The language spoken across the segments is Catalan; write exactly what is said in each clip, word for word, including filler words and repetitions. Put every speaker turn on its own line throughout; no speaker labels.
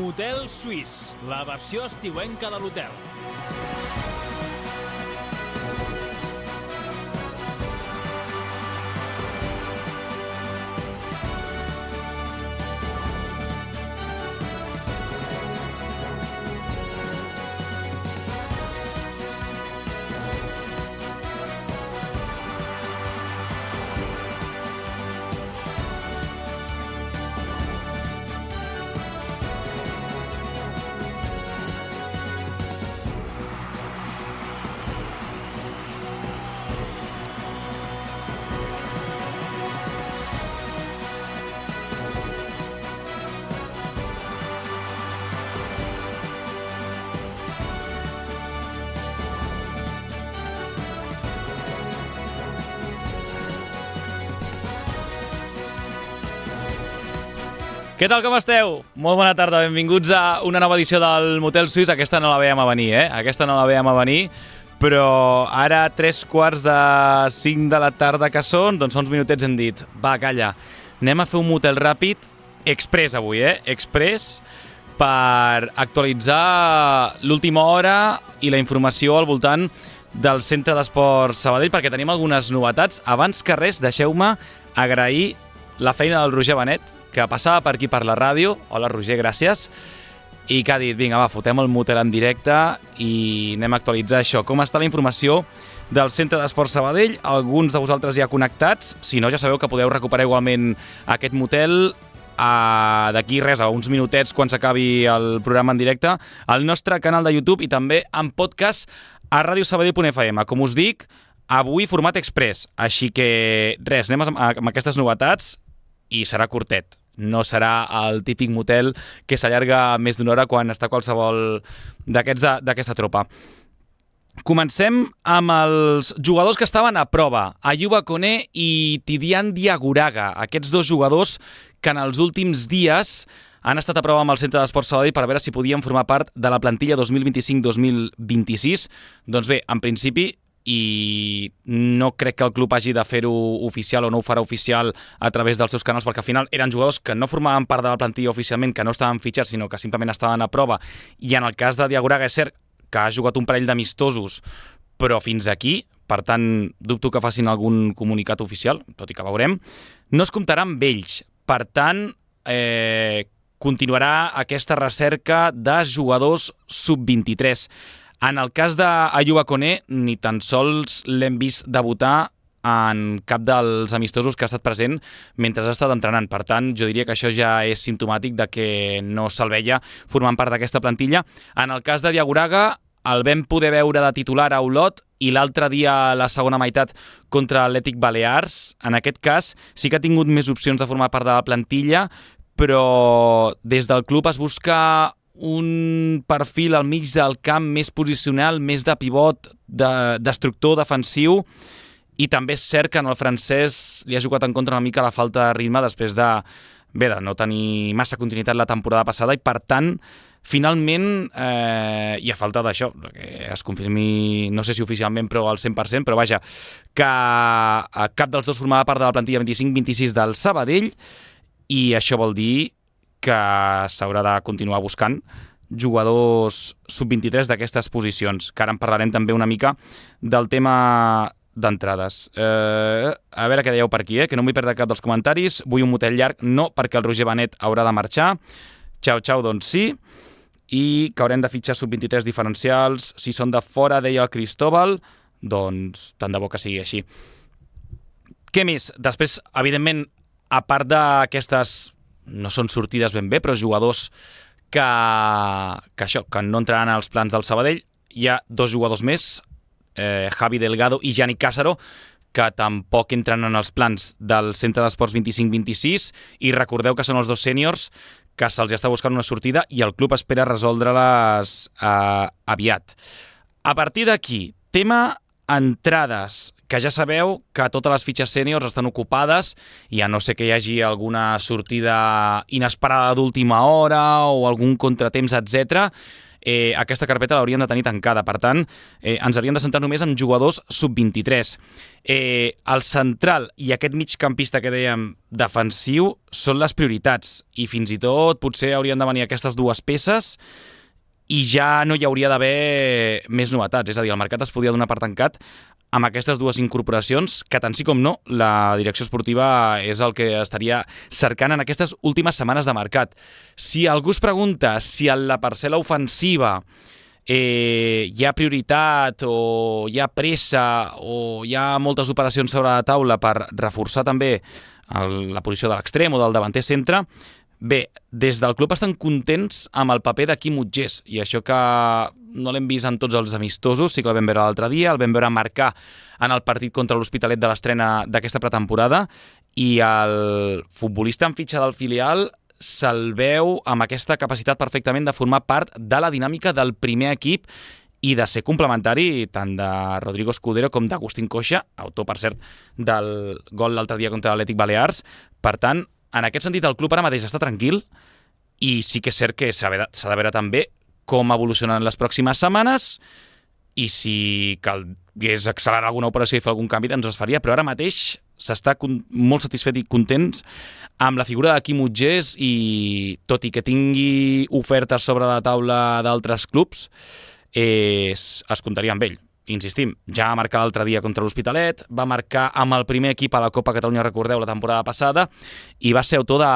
Motel Suís, la versió estiuenca de l'hotel. Què tal, com esteu? Molt bona tarda, benvinguts a una nova edició del Motel Suís. Aquesta no la veiem a venir, eh? Aquesta no la veiem a venir, però ara, tres quarts de cinc de la tarda que són, doncs fa uns minutets hem dit, va, calla, anem a fer un motel ràpid, express avui, eh? Express, per actualitzar l'última hora i la informació al voltant del Centre d'Esports Sabadell, perquè tenim algunes novetats. Abans que res, deixeu-me agrair la feina del Roger Benet, que passava per aquí per la ràdio. Hola, Roger, gràcies. I que ha dit, vinga, va, fotem el motel en directe i anem a actualitzar això. Com està la informació del Centre d'Esports Sabadell? Alguns de vosaltres ja connectats. Si no, ja sabeu que podeu recuperar igualment aquest motel uh, d'aquí res, a uns minutets, quan s'acabi el programa en directe, al nostre canal de YouTube i també en podcast a radio sabadell punt f m. Com us dic, avui format express. Així que res, anem amb aquestes novetats i serà curtet. No serà el típic motel que s'allarga més d'una hora quan està qualsevol d'aquests d'aquesta tropa. Comencem amb els jugadors que estaven a prova, Ayuba Koné i Tidiane Diagouraga, aquests dos jugadors que en els últims dies han estat a prova amb el Centre d'Esports Sabadell per veure si podien formar part de la plantilla dos mil vint-i-cinc dos mil vint-i-sis. Doncs bé, en principi, i no crec que el club hagi de fer-ho oficial o no ho farà oficial a través dels seus canals, perquè al final eren jugadors que no formaven part de la plantilla oficialment, que no estaven fitxats, sinó que simplement estaven a prova. I en el cas de Diagouraga és cert que ha jugat un parell d'amistosos, però fins aquí, per tant, dubto que facin algun comunicat oficial, tot i que veurem. No es comptarà amb ells, per tant, eh, continuarà aquesta recerca de jugadors sub vint-i-tres. En el cas d'Ayuba Koné, ni tan sols l'hem vist debutar en cap dels amistosos que ha estat present mentre ha estat entrenant. Per tant, jo diria que això ja és simptomàtic de que no se'l veia formant part d'aquesta plantilla. En el cas de Diagouraga, el vam poder veure de titular a Olot i l'altre dia a la segona meitat contra l'Atlètic Balears. En aquest cas sí que ha tingut més opcions de formar part de la plantilla, però des del club es busca un perfil al mig del camp més posicional, més de pivot, de, destructor defensiu, i també és cert que en el francès li ha jugat en contra una mica la falta de ritme després de, bé, de no tenir massa continuïtat la temporada passada, i per tant, finalment, eh, hi ha falta d'això, que es confirmi, no sé si oficialment, però al cent per cent, però vaja, que cap dels dos formava part de la plantilla vint-i-cinc vint-i-sis del Sabadell, i això vol dir que s'haurà de continuar buscant jugadors sub vint-i-tres d'aquestes posicions, que ara en parlarem també una mica del tema d'entrades. Eh, a veure què dèieu per aquí, eh? Que no m'hi perdre cap dels comentaris. Vull un motel llarg, no, perquè el Roger Benet haurà de marxar. Xau, xau, doncs sí. I que haurem de fitxar sub vint-i-tres diferencials. Si són de fora, deia el Cristóbal, doncs tant de bo que sigui així. Què més? Després, evidentment, a part d'aquestes, no són sortides ben bé, però jugadors que, que això, que no entraran als plans del Sabadell, hi ha dos jugadors més, eh, Javi Delgado i Gianni Cásaro, que tampoc entren en els plans del Centre d'Esports vint-i-cinc vint-i-sis, i recordeu que són els dos sèniors que se'ls està buscant una sortida i el club espera resoldre-les eh, aviat. A partir d'aquí, tema entrades, que ja sabeu que totes les fitxes sèniors estan ocupades i a no ser que hi hagi alguna sortida inesperada d'última hora o algun contratemps, etcètera, eh, aquesta carpeta l'hauríem de tenir tancada. Per tant, eh, ens hauríem de centrar només en jugadors sub vint-i-tres. Eh, el central i aquest migcampista que dèiem defensiu són les prioritats i fins i tot potser haurien de venir aquestes dues peces i ja no hi hauria d'haver més novetats. És a dir, el mercat es podia donar per tancat amb aquestes dues incorporacions, que tant sí com no, la direcció esportiva és el que estaria cercant en aquestes últimes setmanes de mercat. Si algú es pregunta si en la parcel·la ofensiva eh, hi ha prioritat o hi ha pressa o hi ha moltes operacions sobre la taula per reforçar també el, la posició de l'extrem o del davanter centre, bé, des del club estan contents amb el paper de Quim Utgés, i això que no l'hem vist en tots els amistosos, sí que el vam veure l'altre dia, el vam veure marcar en el partit contra l'Hospitalet de l'estrena d'aquesta pretemporada, i el futbolista en fitxa del filial se'l veu amb aquesta capacitat perfectament de formar part de la dinàmica del primer equip i de ser complementari tant de Rodrigo Escudero com d'Agustín Coixa, autor, per cert, del gol l'altre dia contra l'Atlètic Balears. Per tant, en aquest sentit, el club ara mateix està tranquil i sí que és cert que s'ha de veure també com evolucionen les pròximes setmanes i si calgués accelerar alguna operació i fer algun canvi, doncs es faria, però ara mateix s'està molt satisfet i contents amb la figura de Quim Utgés i, tot i que tingui ofertes sobre la taula d'altres clubs, eh, es, es comptaria amb ell. Insistim, ja va marcar l'altre dia contra l'Hospitalet, va marcar amb el primer equip a la Copa Catalunya, recordeu, la temporada passada, i va ser autor de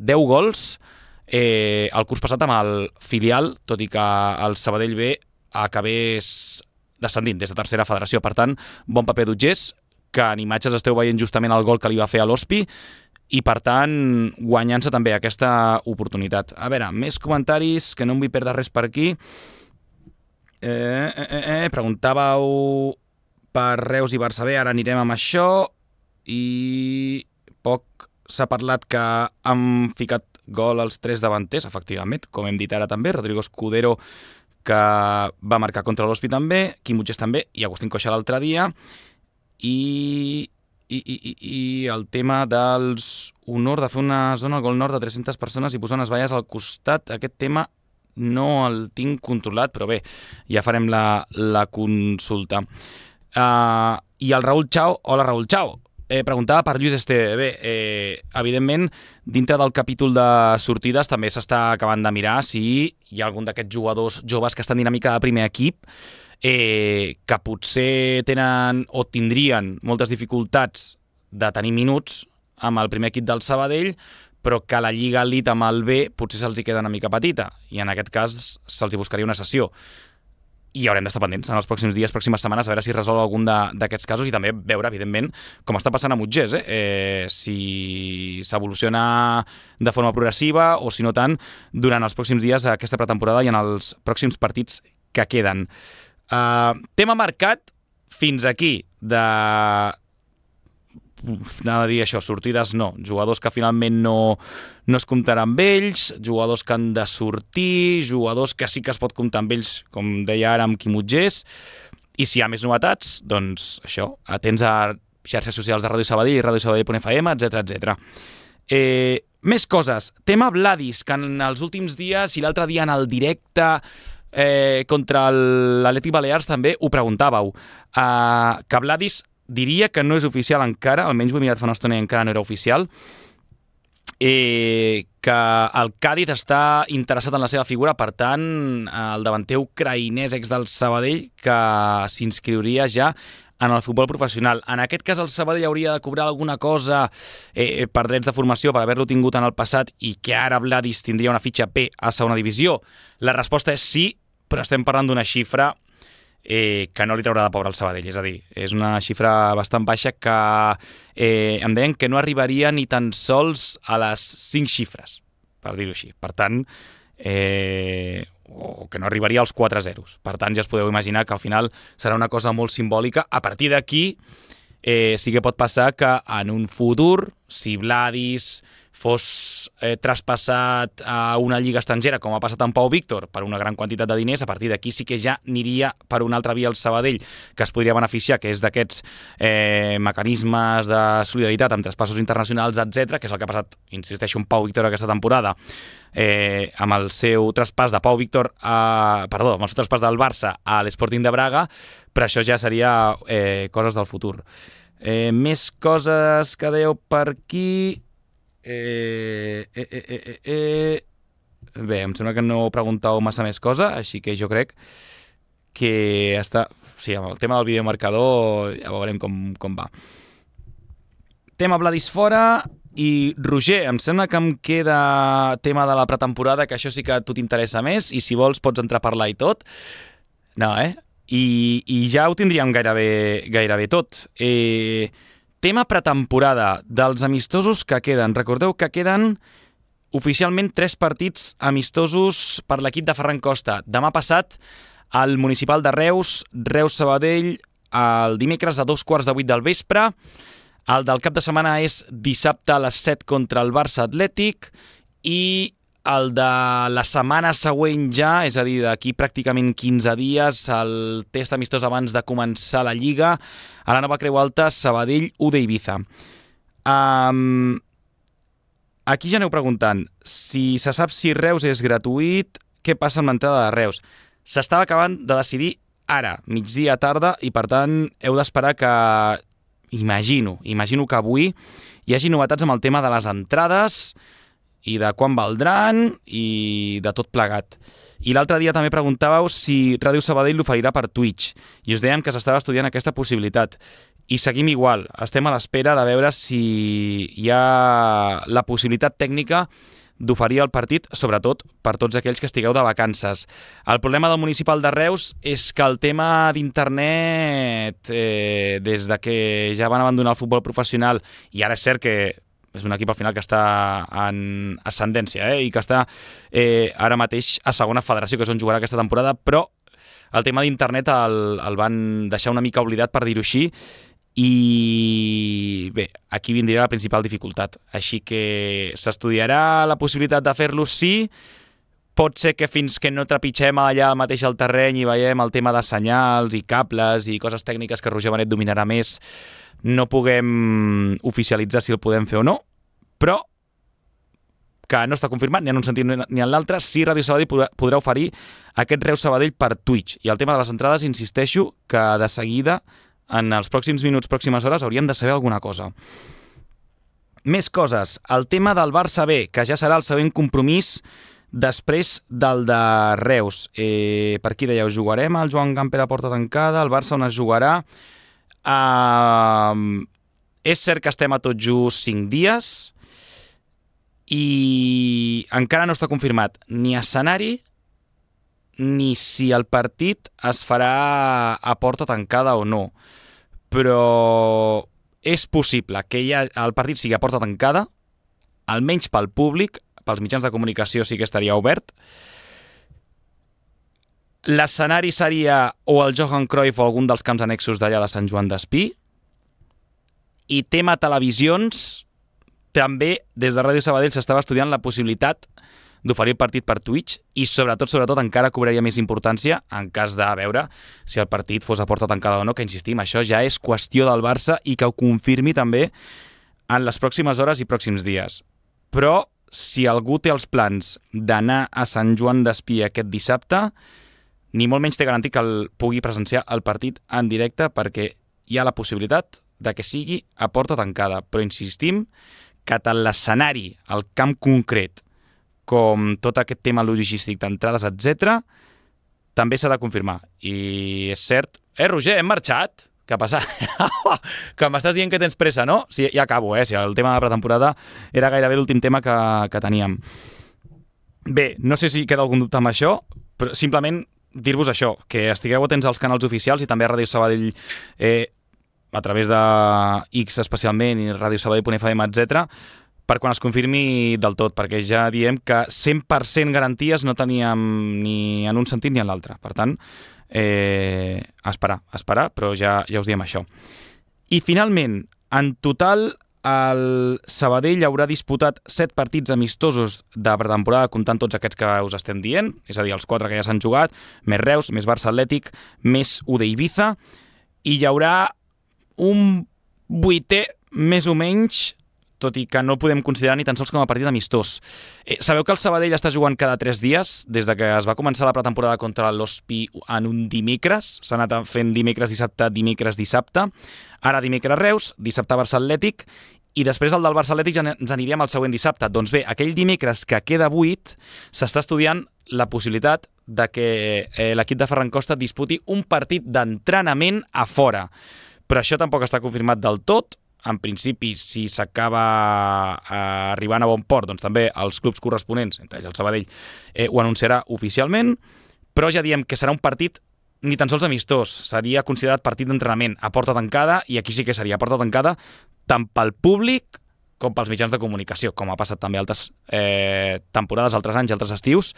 deu gols eh, el curs passat amb el filial, tot i que el Sabadell B acabés descendint des de tercera federació. Per tant, bon paper d'Utgés, que en imatges esteu veient justament el gol que li va fer a l'Hospi, i per tant, guanyant-se també aquesta oportunitat. A veure, més comentaris, que no em vull perdre res per aquí. Eh, eh, eh, eh, preguntàveu per Reus i Barça B, ara anirem amb això, i poc s'ha parlat que han ficat gol els tres davanters, efectivament, com hem dit ara també, Rodrigo Escudero, que va marcar contra l'Hospi també, Quim Utgés també, i Agustín Coixa l'altre dia, i, i, i, i, i el tema dels honor de fer una zona al gol nord de tres-centes persones i posar unes valles al costat, aquest tema no el tinc controlat, però bé, ja farem la, la consulta. Uh, I el Raül Chao, hola Raül Chao, eh, preguntava per Lluís Esteve. Bé, eh, evidentment, dintre del capítol de sortides també s'està acabant de mirar si hi ha algun d'aquests jugadors joves que estan en dinàmica de primer equip, eh, que potser tenen o tindrien moltes dificultats de tenir minuts amb el primer equip del Sabadell, però que la Lliga Elite amb el B potser se'ls hi queda una mica petita, i en aquest cas se'ls hi buscaria una sessió. I haurem d'estar pendents en els pròxims dies, pròximes setmanes, a veure si resol algun d'aquests casos, i també veure, evidentment, com està passant amb Utgés, eh? eh si s'evoluciona de forma progressiva o, si no tant, durant els pròxims dies aquesta pretemporada i en els pròxims partits que queden. Uh, tema mercat, fins aquí, de... anava a dir això, sortides no, jugadors que finalment no, no es comptaran amb ells, jugadors que han de sortir, jugadors que sí que es pot comptar amb ells, com deia ara amb Quim Utgés, i si hi ha més novetats, doncs això, atents a xarxes socials de Ràdio Sabadell i ràdio sabadell punt f m, etcètera, etcètera. Eh, més coses, tema Vladis, que en els últims dies i l'altre dia en el directe eh, contra l'Atlètic Balears també ho preguntàveu, eh, que Vladis diria que no és oficial encara, almenys ho he mirat fa una estona i encara no era oficial, eh, que el Càdiz està interessat en la seva figura, per tant, el davanter ucraïnès ex del Sabadell que s'inscriuria ja en el futbol professional. En aquest cas el Sabadell hauria de cobrar alguna cosa eh, per drets de formació per haver-lo tingut en el passat i que ara Vladis tindria una fitxa P a segona divisió. La resposta és sí, però estem parlant d'una xifra Eh, que no li traurà de pobre al Sabadell, és a dir, és una xifra bastant baixa que eh, em deien que no arribaria ni tan sols a les cinc xifres, per dir-ho així. Per tant, eh, o que no arribaria als quatre zeros. Per tant, ja us podeu imaginar que al final serà una cosa molt simbòlica. A partir d'aquí, eh, sí que pot passar que en un futur, si Vladis fos eh, traspassat a una lliga estrangera, com ha passat amb Pau Víctor, per una gran quantitat de diners, a partir d'aquí sí que ja aniria per una altra via al Sabadell, que es podria beneficiar, que és d'aquests eh, mecanismes de solidaritat amb traspassos internacionals, etcètera, que és el que ha passat, insisteixo, amb Pau Víctor aquesta temporada, eh, amb el seu traspàs de Pau Víctor, a, perdó, amb el seu traspàs del Barça a l'Sporting de Braga, però això ja seria eh, coses del futur. Eh, més coses que dèieu per aquí... Eh, eh, eh, eh, eh. Bé, em sembla que no preguntau massa més cosa, així que jo crec que està... Sí, amb el tema del videomarcador ja veurem com, com va. Tema Vladis fora i Roger, em sembla que em queda tema de la pretemporada, que això sí que a tu t'interessa més, i si vols pots entrar a parlar i tot. No, eh? I, i ja ho tindríem gairebé, gairebé tot. Eh... Tema pretemporada dels amistosos que queden. Recordeu que queden oficialment tres partits amistosos per l'equip de Ferran Costa. Demà passat, al Municipal de Reus, Reus-Sabadell, el dimecres a dos quarts de vuit del vespre. El del cap de setmana és dissabte a les set contra el Barça Atlètic i el de la setmana següent ja, és a dir, d'aquí pràcticament quinze dies, el test amistós abans de començar la Lliga, a la nova Creu Alta, Sabadell, U D Ibiza. Um, aquí ja aneu preguntant, si se sap si Reus és gratuït, què passa amb l'entrada de Reus? S'estava acabant de decidir ara, migdia tarda, i per tant heu d'esperar que, imagino, imagino que avui hi hagi novetats amb el tema de les entrades, i de quan valdran i de tot plegat. I l'altre dia també preguntàveu si Ràdio Sabadell l'oferirà per Twitch i us dèiem que s'estava estudiant aquesta possibilitat. I seguim igual, estem a l'espera de veure si hi ha la possibilitat tècnica d'oferir el partit, sobretot per tots aquells que estigueu de vacances. El problema del Municipal de Reus és que el tema d'internet, eh, des de que ja van abandonar el futbol professional, i ara és cert que és un equip al final que està en ascendència eh? i que està eh, ara mateix a segona federació, que és on jugarà aquesta temporada, però el tema d'internet el, el van deixar una mica oblidat, per dir-ho així, i bé, aquí vindria la principal dificultat. Així que s'estudiarà la possibilitat de fer-lo, sí. Pot ser que fins que no trepitgem allà mateix al terreny i veiem el tema de senyals i cables i coses tècniques que Roger Benet dominarà més, no puguem oficialitzar si el podem fer o no, però que no està confirmat ni en un sentit ni en l'altre, sí Ràdio Sabadell podrà oferir aquest Reus Sabadell per Twitch. I el tema de les entrades, insisteixo, que de seguida, en els pròxims minuts, pròximes hores, hauríem de saber alguna cosa. Més coses. El tema del Barça B, que ja serà el següent compromís després del de Reus. Eh, per aquí dèieu, jugarem el Joan Gamper a porta tancada, el Barça on es jugarà. Uh, és cert que estem a tot just cinc dies i encara no està confirmat ni escenari ni si el partit es farà a porta tancada o no, però és possible que ja el partit sigui a porta tancada, almenys pel públic, pels mitjans de comunicació sí que estaria obert. L'escenari seria o el Johan Cruyff o algun dels camps annexos d'allà de Sant Joan d'Espí. I tema televisions, també des de Ràdio Sabadell s'estava estudiant la possibilitat d'oferir el partit per Twitch i sobretot, sobretot encara cobraria més importància en cas de veure si el partit fos a porta tancada o no, que insistim, això ja és qüestió del Barça i que ho confirmi també en les pròximes hores i pròxims dies. Però si algú té els plans d'anar a Sant Joan d'Espí aquest dissabte, ni molt menys té garantit que el pugui presenciar el partit en directe, perquè hi ha la possibilitat de que sigui a porta tancada. Però insistim que tant l'escenari, el camp concret, com tot aquest tema logístic d'entrades, etcètera, també s'ha de confirmar. I és cert... Eh, Roger, hem marxat? Què ha passat? Que m'estàs dient que tens pressa, no? Sí, ja acabo, eh? Si el tema de la pretemporada era gairebé l'últim tema que, que teníem. Bé, no sé si queda algun dubte amb això, però simplement dir-vos això, que estigueu atents als canals oficials i també a Ràdio Sabadell eh, a través de X especialment i ràdio sabadell punt f m, etcètera, per quan es confirmi del tot, perquè ja diem que cent per cent garanties no teníem ni en un sentit ni en l'altre. Per tant, eh, esperar, esperar, però ja, ja us diem això. I finalment, en total, el Sabadell haurà disputat set partits amistosos de pretemporada, comptant tots aquests que us estem dient, és a dir, els quatre que ja s'han jugat, més Reus, més Barça Atlètic, més U D Ibiza, i hi haurà un vuitè, més o menys, tot i que no el podem considerar ni tan sols com a partit amistós. Eh, sabeu que el Sabadell està jugant cada tres dies, des de que es va començar la pretemporada contra l'Ospi en un dimecres, s'ha anat fent dimecres, dissabte, dimecres, dissabte, ara dimecres Reus, dissabte Barça Atlètic, i després el del Barça Atlètic ja ens aniríem al següent dissabte. Doncs bé, aquell dimecres que queda buit, s'està estudiant la possibilitat de que eh, l'equip de Ferran Costa disputi un partit d'entrenament a fora. Però això tampoc està confirmat del tot. En principi, si s'acaba eh, arribant a bon port, doncs també els clubs corresponents, entre ells el Sabadell, eh, ho anunciarà oficialment, però ja diem que serà un partit ni tan sols amistós, seria considerat partit d'entrenament a porta tancada, i aquí sí que seria a porta tancada tant pel públic com pels mitjans de comunicació, com ha passat també altres eh, temporades, altres anys, altres estius.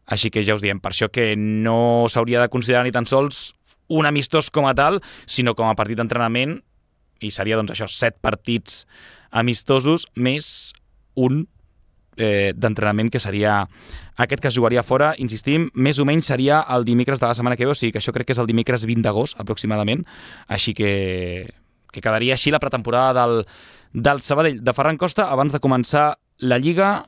Així que ja us diem, per això que no s'hauria de considerar ni tan sols un amistós com a tal, sinó com a partit d'entrenament, i seria, doncs, això, set partits amistosos més un eh, d'entrenament que seria aquest que es jugaria fora, insistim, més o menys seria el dimecres de la setmana que ve, o sigui que això crec que és el dimecres vint d'agost, aproximadament, així que, que quedaria així la pretemporada del, del Sabadell de Ferran Costa abans de començar la Lliga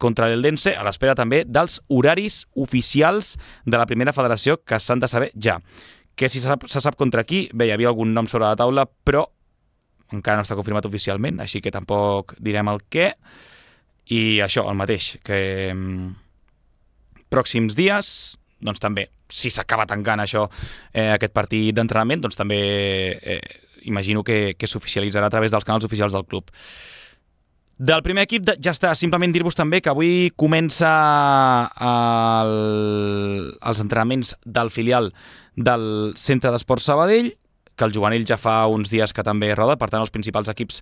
contra l'Eldense, a l'espera també dels horaris oficials de la primera federació que s'han de saber ja. Que si se sap, se sap contra qui, bé, hi havia algun nom sobre la taula, però encara no està confirmat oficialment, així que tampoc direm el què. I això, el mateix, que mm, pròxims dies, doncs també, si s'acaba tancant això, eh, aquest partit d'entrenament, doncs també eh, imagino que, que s'oficialitzarà a través dels canals oficials del club. Del primer equip ja està, simplement dir-vos també que avui comença el, els entrenaments del filial del Centre d'Esports Sabadell, que el juvenil ja fa uns dies que també roda, per tant els principals equips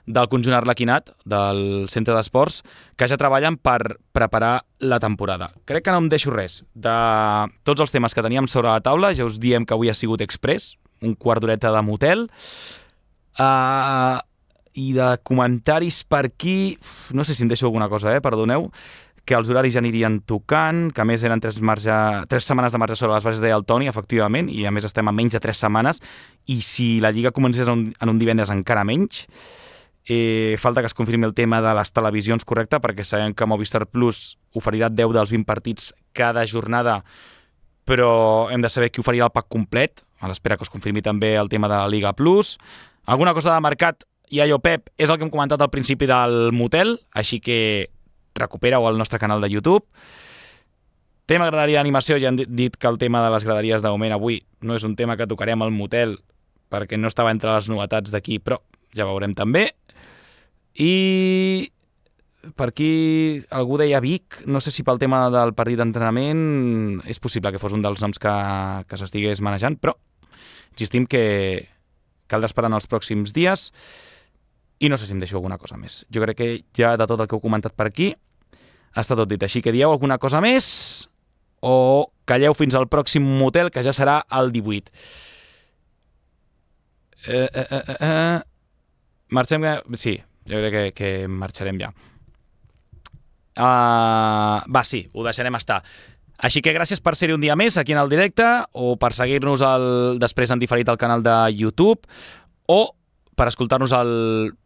del conjunt arlequinat, del Centre d'Esports, que ja treballen per preparar la temporada. Crec que no em deixo res. De tots els temes que teníem sobre la taula, ja us diem que avui ha sigut express, un quart d'horeta de motel, uh, i de comentaris per aquí, no sé si em deixo alguna cosa, eh? Perdoneu, que els horaris ja anirien tocant, que a més eren tres, marge, tres setmanes de marge sobre les bases, deia el Toni, efectivament, i a més estem a menys de tres setmanes, i si la Lliga comencés en un, en un divendres encara menys. Eh, falta que es confirmi el tema de les televisions, correcte, perquè sabem que Movistar Plus oferirà deu dels vint partits cada jornada, però hem de saber qui oferirà el pack complet, a l'espera que es confirmi també el tema de la Liga Plus. Alguna cosa de mercat, i allò, Pep, és el que hem comentat al principi del motel, així que recupera-ho al nostre canal de YouTube. Tema graderia d'animació, ja hem dit que el tema de les graderies de moment avui no és un tema que tocarem al motel perquè no estava entre les novetats d'aquí, però ja veurem també. I per aquí algú deia Vic, no sé si pel tema del partit d'entrenament és possible que fos un dels noms que, que s'estigués manejant, però insistim que caldrà esperar en els pròxims dies. I no sé si em deixo alguna cosa més. Jo crec que ja de tot el que heu comentat per aquí està tot dit. Així que dieu alguna cosa més o calleu fins al pròxim motel, que ja serà el divuit. Eh, eh, eh, eh. Marxem... Sí, jo crec que, que marxarem ja. Uh, va, sí, ho deixarem estar. Així que gràcies per ser-hi un dia més aquí en el directe, o per seguir-nos el, després en diferit al canal de YouTube, o per escoltar-nos al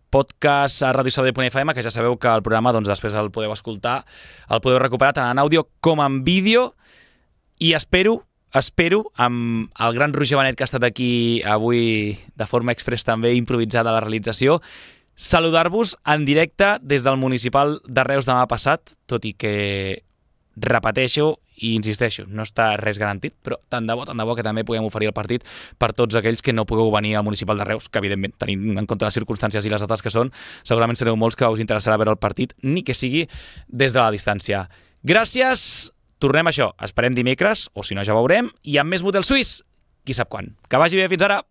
podcast a radio sabadell punt f m, que ja sabeu que el programa doncs, després el podeu escoltar, el podeu recuperar tant en àudio com en vídeo, i espero, espero, amb el gran Roger Benet que ha estat aquí avui de forma express també improvisada a la realització, saludar-vos en directe des del Municipal de Reus demà passat, tot i que repeteixo i insisteixo, no està res garantit, però tant de bo, tant de bo que també puguem oferir el partit per tots aquells que no pugueu venir al Municipal de Reus, que evidentment, tenint en compte les circumstàncies i les dates que són, segurament sereu molts que us interessarà veure el partit, ni que sigui des de la distància. Gràcies, tornem a això, esperem dimecres, o si no ja veurem, i amb més motel suís, qui sap quan. Que vagi bé, fins ara!